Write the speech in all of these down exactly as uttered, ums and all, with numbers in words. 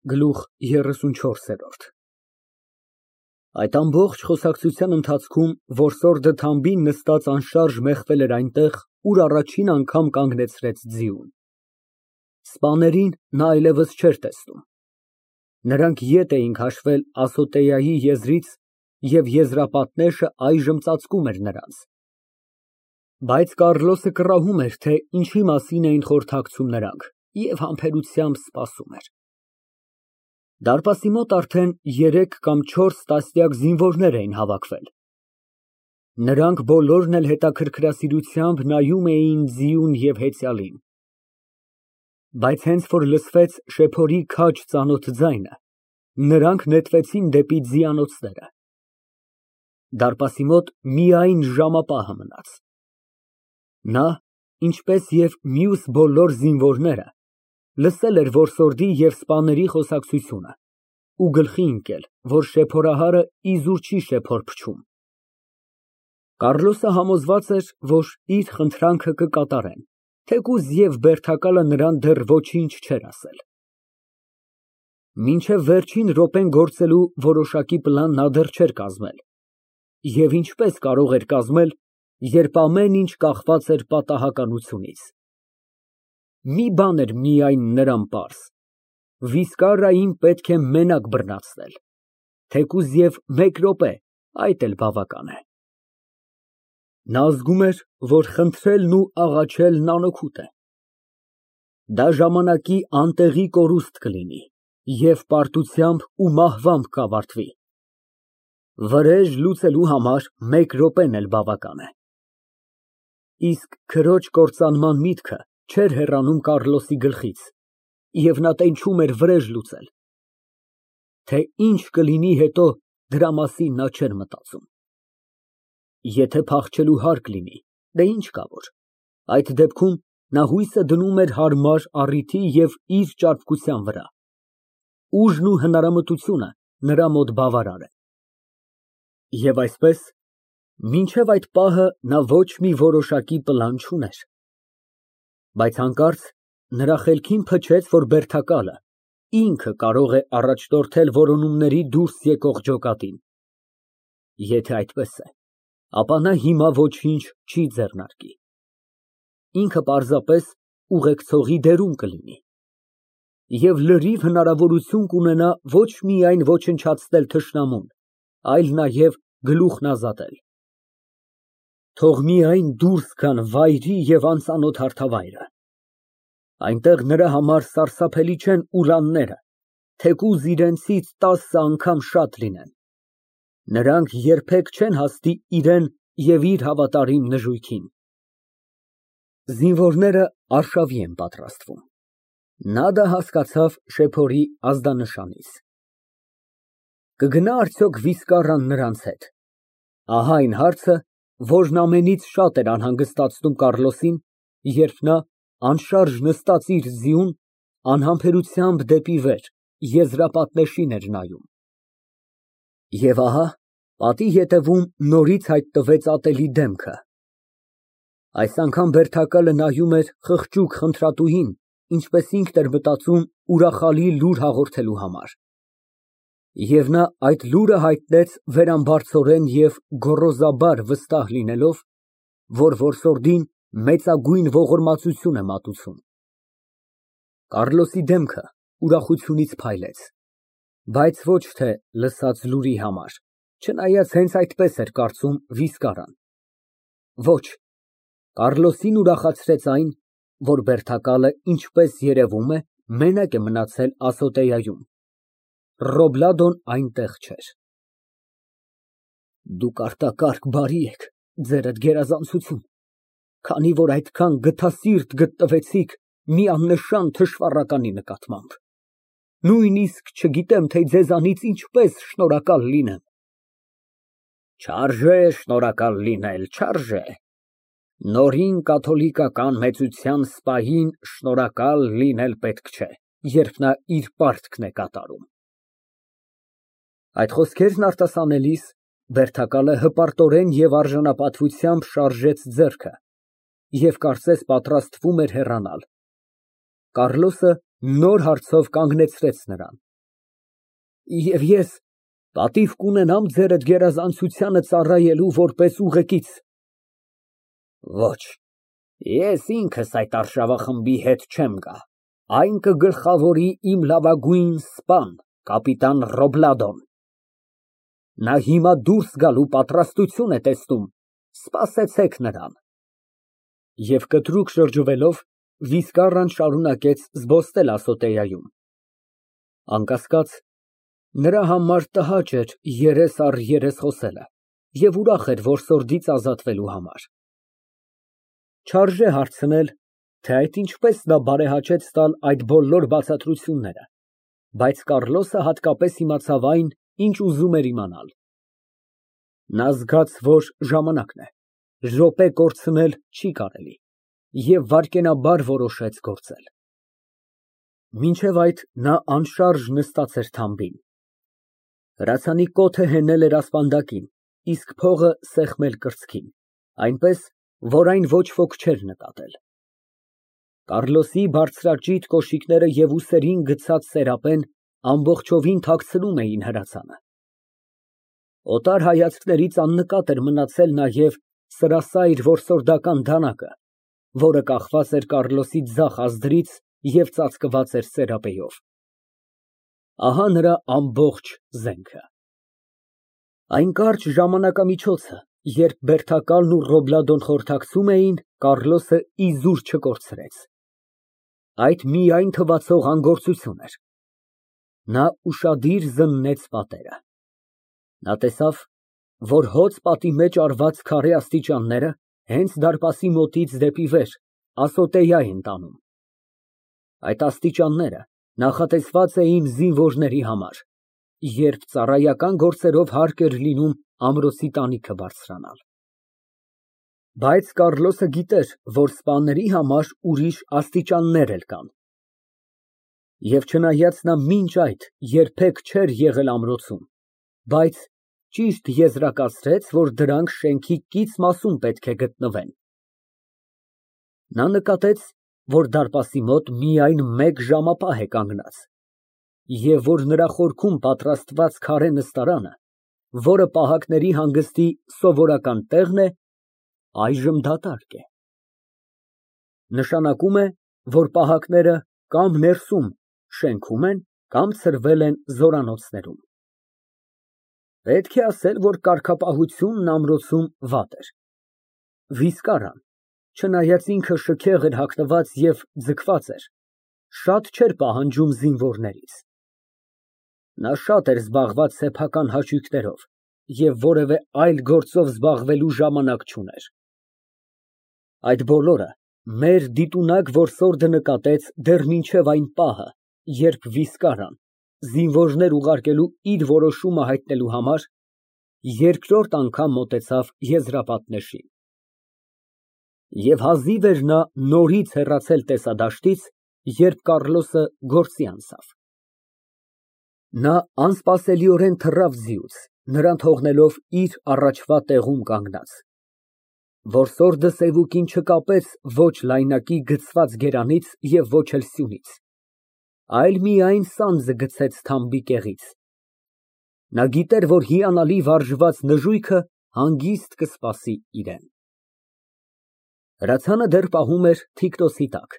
Գլուխ երեսունչորս։ Այդ ամբողջ խոսակցության ընթացքում որսորդը թամբին նստած անշարժ մեխվել էր այնտեղ, ուր առաջին անգամ կանգնեցրեց ձիուն։ Սպաներին նա այլևս չէր տեսնում։ Նրանք ետ էին քաշվել Ասոտեայի եզրից, և եզրապատնեշը այժմ ծածկում էր նրանց։ Բայց Կառլոսը կռահում էր, թե ինչի մասին էին խորհրդակցում նրանք, և համբերությամբ սպասում էր։ Դարպասի մոտ արդեն երեք կամ չորս տասնյակ զինվորներ էին հավաքվել։ Նրանք բոլորն էլ հետաքրքրասիրությամբ նայում էին ձիուն և հեծյալին։ Բայց հենց որ լսվեց շեփորի քաջ ծանոթ ձայնը, նրանք նետվեցին դեպի ձիանոցները։ Դարպասի մոտ միայն ժամապահը մնաց։ Նա, ինչպես և մյուս բոլոր զինվորները, լսել էր որսորդի և սպաների խոսակցությունը ու գլխի ընկել, որ շեփորահարը իզուր չի շեփոր փչում։ Կառլոսը համոզված էր, որ իր խնդրանքը կկատարեն, թեկուզ և բերդակալը նրան դեռ ոչինչ չէր ասել։ Մինչև վերջին րոպեն գործելու որոշակի պլան նա դեռ չէր կազմել, և ինչպես կարող էր կազմել, երբ ամեն ինչ կախված էր պատահականությունից։ Մի բան էր միայն նրան պարզ. Վիսկարիային պետք է մենակ բռնացնել, թեկուզ և մեկ րոպե, այդ էլ բավական է։ Նա զգում էր, որ խնդրելն ու աղաչելն անօգուտ է։ Դա ժամանակի անտեղի կորուստ կլինի և պարտությամբ ու մահվամբ կավարտվի։ Վրեժ լուծելու համար մեկ րոպեն էլ բավական է։ Իսկ քրոջ կործանման միտքը չէր հեռանում Կառլոսի գլխից, և նա տենչում էր վրեժ լուծել։ Թե ինչ կլինի հետո, դրա մասին նա չէր մտածում։ Եթե փախչելու հարկ լինի, դե ինչ կա որ, այդ դեպքում նա հույսը դնում էր հարմար առիթի և իր ճարպկության վրա։ Ուժն ու հնարամտությունը նրա մոտ բավարար են։ Եվ այսպես, մինչև այդ պահը նա ոչ մի որոշակի պլան չուներ։ Բայց հանկարծ նրա խելքին փչեց, որ բերդակալը ինքը կարող է առաջնորդել որոնումների դուրս եկող ջոկատին։ Եթե այդպես է, ապա նա հիմա ոչինչ չի ձեռնարկի։ Ինքը պարզապես ուղեկցողի դերում կլինի և լրիվ հնարավորություն կունենա ոչ միայն ոչնչացնել թշնամուն, այլ նաև գլուխն ազատել։ Թող միայն դուրս գան վայրի և անծանոթ հարթավայրը։ Այնտեղ նրա համար սարսափելի չեն ուրանները, թեկուզ իրենցից տասը անգամ շատ լինեն։ Նրանք երբեք չեն հասնի իրան և իր հավատարիմ նժույգին։ Զինվորները արշավի են պատրաստվում։ Նա դա հասկացավ շեփորի ազդանշանից։ Կգնա՞ արդյոք Վիսկարան նրանց հետ։ Ահա այն հարցը, որն ամենից շատ էր անհանգստացնում Կառլոսին, երբ նա, անշարժ նստած իր ձիուն, անհամբերությամբ դեպի վեր, եզրապատնեշին էր նայում։ Եվ ահա պատի ետևում նորից հայտնվեց ատելի դեմքը։ Այս անգամ բերդակալը նայում էր խղճուկ խնդրատուին, ինչպես ինքն էր մտածում, ուրախալի լուր հաղորդելու համար։ Եվ նա այդ լուրը հայտնեց վերամբարձորեն և գոռոզաբար վստահ լինելով, որ որսորդին մեծագույն ողորմածություն է մատուցում։ Կառլոսի դեմքը ուրախությունից փայլեց, բայց ոչ թե լսած լուրի համար, չնայած հենց այդպես էր կարծում Վիսկարան։ Ոչ, Կառլոսին ուրախացրեց այն, որ բերդակալը, ինչպես երևում է, մենակ է մնացել Ասոտեայում։ Ռոբլադոն այնտեղ չէր։ Դուք արտակարգ բարի եք, ձերդ գերազանցություն, քանի որ այդքան գթասիրտ գտնվեցիք մի աննշան թշվառականի նկատմամբ։ Նույնիսկ չգիտեմ, թե ձեզանից ինչպես շնորհակալ լինեմ։ Չարժե շնորհակալ լինել, չարժե։ Նորին կաթոլիկական մեծության սպային շնորհակալ լինել պետք չէ, երբ նա իր պարտքն է կատարում։ Այդ խոսքերն արտասանելիս բերդակալը հպարտորեն և արժանապատվությամբ շարժեց ձեռքը և կարծես պատրաստվում էր հեռանալ։ Կառլոսը նոր հարցով կանգնեցրեց նրան։ Եվ ես պատիվ կունենամ ձերդ գերազանցությանը ծառայելու որպես ուղեկից։ Ոչ, ես ինքս այդ արշավախմբի հետ չեմ գա, այն կգլխավորի իմ լավագույն սպան կապիտան Ռոբլադոն։ Նա հիմա դուրս գալու պատրաստություն է տեսնում, սպասեցեք նրան։ Եվ կտրուկ շրջվելով, Վիսկարան շարունակեց զբոսնել ասոտեայում։ Անկասկած, նրա համար տհաճ էր երես առ երես խոսելը և ուրախ էր որսորդից ազատվելու համար։ Չարժե հարցնել, թե այդ ինչպես նա բարեհաճեց տալ այդ բոլոր բացատրությունները, բայց Կառլոսը հատկապես իմացավ այն, ինչ ուզում էր իմանալ։ Նա զգաց, որ ժամանակն է, րոպե կորցնել չի կարելի, և վայրկենաբար որոշեց գործել։ Մինչև այդ նա անշարժ նստած էր թամբին։ Հրացանի կոթը հենել էր ասպանդակին, իսկ փողը սեղմել կրծքին, այնպես, որ այն ոչ ոք չէր նկատել։ Կառլոսի բարձրաճիտ կոշիկները և ուսերին գցած սերապեն ամբողջովին թաքցնում էին հրացանը։ Օտար հայացքներից աննկատ էր մնացել նաև սրասայր որսորդական դանակը, որը կախված էր Կառլոսի ձախ ազդրից և ծածկված էր սերապեով։ Ահա նրա ամբողջ զենքը։ Այն կարճ ժամանակամիջոցը, երբ Բերթակալն ու Ռոբլադոն խորհրդակցում էին, Կառլոսը իզուր չկորցրեց։ Այդ միայն թվացող անգործություն էր։ Նա ուշադիր զննեց պատերը։ Նա տեսավ, որ հոծ պատի մեջ արված քարե աստիճանները հենց դարպասի մոտից դեպի վեր ասոտեյա են տանում։ Այդ աստիճանները նախատեսված էին զինվորների համար, երբ ծառայական գործերով հարկ էր լինում ամրոցի տանիքը բարձրանալ։ Բայց Կառլոսը գիտեր, որ սպաների համար ուրիշ աստիճաններ էլ կան։ Եվ չնայած նա մինչ այդ երբեք չէր եղել ամրոցում, բայց ճիշտ եզրակացրեց, որ դրանք շենքի կից մասում պետք է գտնվեն։ Նա նկատեց, որ դարպասի մոտ միայն մեկ ժամապահ է կանգնած, և որ նրա խորքում պատրաստված քարե նստարանը, որը պահակների հանգստի սովորական տեղն է, այժմ դատարկ է։ Նշանակում է, որ պահակները կամ ներսում շենքում են, կամ ցրվել են զորանոցներում։ Պետք է ասել, որ կարգապահությունն ամրոցում վատ էր։ Վիսկարան, չնայած ինքը շքեղ էր հագնված և ձգված էր, շատ չէր պահանջում զինվորներից։ Նա շատ էր զբաղված սեփական հաճույքներով և որևէ այլ գործով զբաղվելու ժամանակ չուներ։ Այդ բոլորը մեր դիտունակ որսորդը նկատեց դեռ մինչև այն պահը, երբ Վիսկարան, զինվորներ ուղարկելու իր որոշումը հայտնելու համար, երկրորդ անգամ մոտեցավ եզրապատնեշին։ Եվ հազիվ էր նա նորից հեռացել տեսադաշտից, երբ Կառլոսը գործի անցավ։ Նա անսպասելիորեն թռավ ձիուց, նրան թողնելով իր առաջվա տեղում կանգնած։ Որսորդը սևուկին չկապեց ոչ լայնակի գցված գերանից և ոչ էլ սյունից, այլ միայն սանձը գցեց թամբի կեղից։ Նա գիտեր, որ հիանալի վարժված նժույգը հանգիստ կսպասի իրան։ Հրացանը դեռ պահում էր թիկնոցի տակ,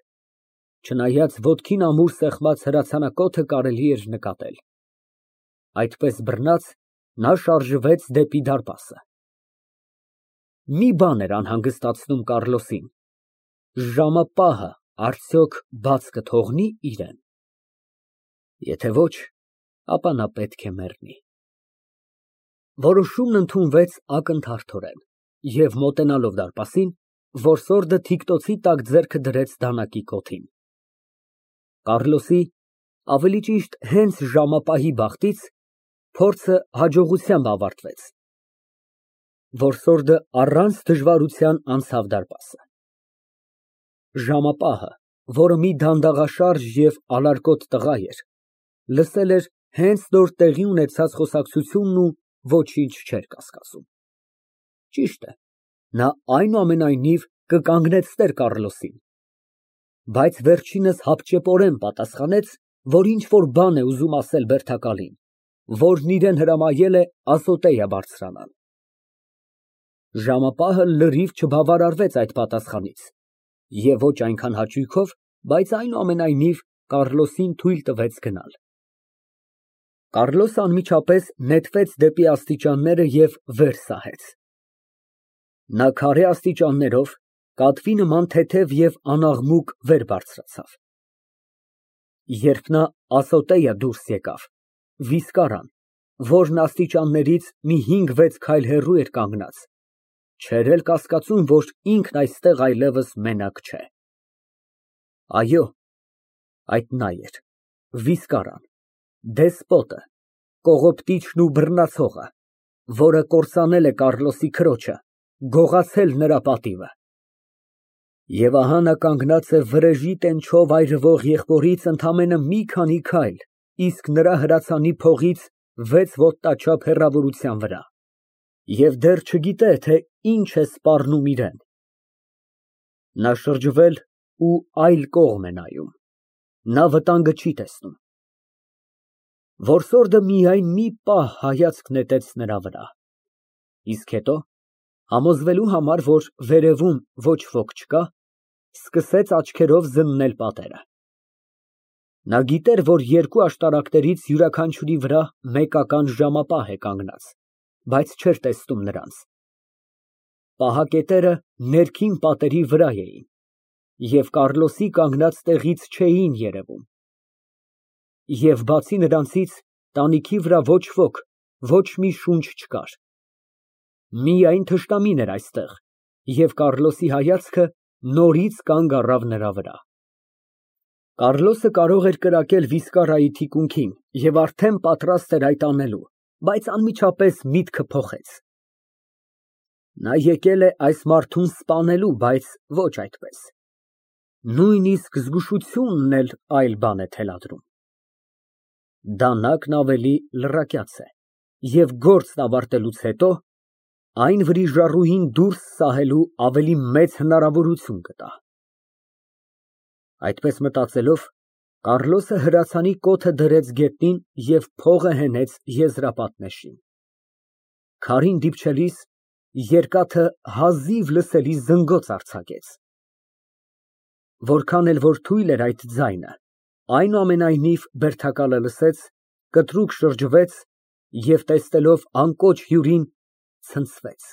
չնայած ոտքին ամուր սեղմած հրացանակոթը կարելի էր նկատել։ Այդպես բռնած, նա շարժվեց դեպի դարպասը։ Մի բան էր անհանգստացնում Կառլոսին. ժամապահը արդյոք բաց կթողնի իրան։ Եթե ոչ, ապա նա պետք է մեռնի։ Որոշումն ընդունվեց ակնթարթորեն, և մոտենալով դարպասին, որսորդը թիկնոցի տակ ձեռքը դրեց դանակի կոթին։ Կառլոսի, ավելի ճիշտ հենց ժամապահի բախտից, փորձը հաջողությամբ ավարտվեց։ Որսորդը առանց դժվարության անցավ դարպասը։ Ժամապահը, որը մի դանդաղաշարժ և ալարկոտ տղա էր, լսել էր հենց նոր տեղի ունեցած խոսակցությունն ու ոչինչ չէր կասկածում։ Ճիշտ է, նա այնուամենայնիվ կկանգնեցներ Կառլոսին, բայց վերջինս հապճեպորեն պատասխանեց, որ ինչ֊որ բան է ուզում ասել Բերթակալին, որն իրան հրամայել է ասոտեյա բարձրանալ։ Ժամապահը լրիվ չբավարարվեց այդ պատասխանից և ոչ այնքան հաճույքով, բայց այնուամենայնիվ Կառլոսին թույլ տվեց գնալ։ Կառլոսը անմիջապես նետվեց դեպի աստիճանները և վեր սահեց։ Նա քարե աստիճաններով, կատվի նման թեթև և անաղմուկ վեր բարձրացավ։ Երբ նա ասոտեյը դուրս եկավ, վիսկարան, որն աստիճաններից մի հինգ֊վեց քայլ հեռու էր կանգնած, չէր էլ կասկածում, որ ինքն այստեղ այլևս մենակ չէ։ Այո, այդ նա էր, վիսկարան, դեսպոտը, կողոպտիչն ու բռնացողը, որը կործանել է Կառլոսի քրոջը, գողացել նրա պատիվը։ Եվ ահա նա կանգնած է վրեժի տենչով այրվող եղբորից ընդամենը մի քանի քայլ, իսկ նրա հրացանի փողից վեց ոտնաչափ հեռավորության վրա, և դեռ չգիտե, թե ինչ է սպառնում իրան։ Նա շրջվել ու այլ կողմ է նայում, նա վտանգը չի տեսնում։ Որսորդը միայն մի պահ հայացք նետեց նրա վրա, իսկ հետո, համոզվելու համար, որ վերևում ոչ ոք չկա, սկսեց աչքերով զննել պատերը։ Նա գիտեր, որ երկու աշտարակներից յուրաքանչյուրի վրա մեկական ժամապահ է կանգնած, բայց չէր տեսնում նրանց։ Պահակետերը ներքին պատերի վրա էին և Կառլոսի կանգնած տեղից չէին երևում։ Եվ բացի նրանցից, տանիքի վրա ոչ ոք, ոչ մի շունչ չկար։ Միայն թշնամին էր այստեղ, և Կառլոսի հայացքը նորից կանգ առավ նրա վրա։ Կառլոսը կարող էր կրակել վիսկարայի թիկունքին և արդեն պատրաստ էր այդ անելու, բայց անմիջապես միտքը փոխեց։ Նա եկել է այս մարդուն սպանելու, բայց ոչ այդպես։ Նույնիսկ զգուշությունն էլ այլ բան է թելադրում։ Դանակն ավելի լռակյաց է և գործն ավարտելուց հետո այն վրիժառուին դուրս սահելու ավելի մեծ հնարավորություն կտա։ Այդպես մտածելով, Կառլոսը հրացանի կոթը դրեց գետնին և փողը հենեց եզրապատնեշին։ Քարին դիպչելիս, երկաթը հազիվ լսելի զնգոց արձակեց։ Որքան էլ որ թույլ էր այդ ձայնը, այնուամենայնիվ բերդակալը լսեց, կտրուկ շրջվեց և, տեսնելով անկոչ հյուրին, ցնցվեց։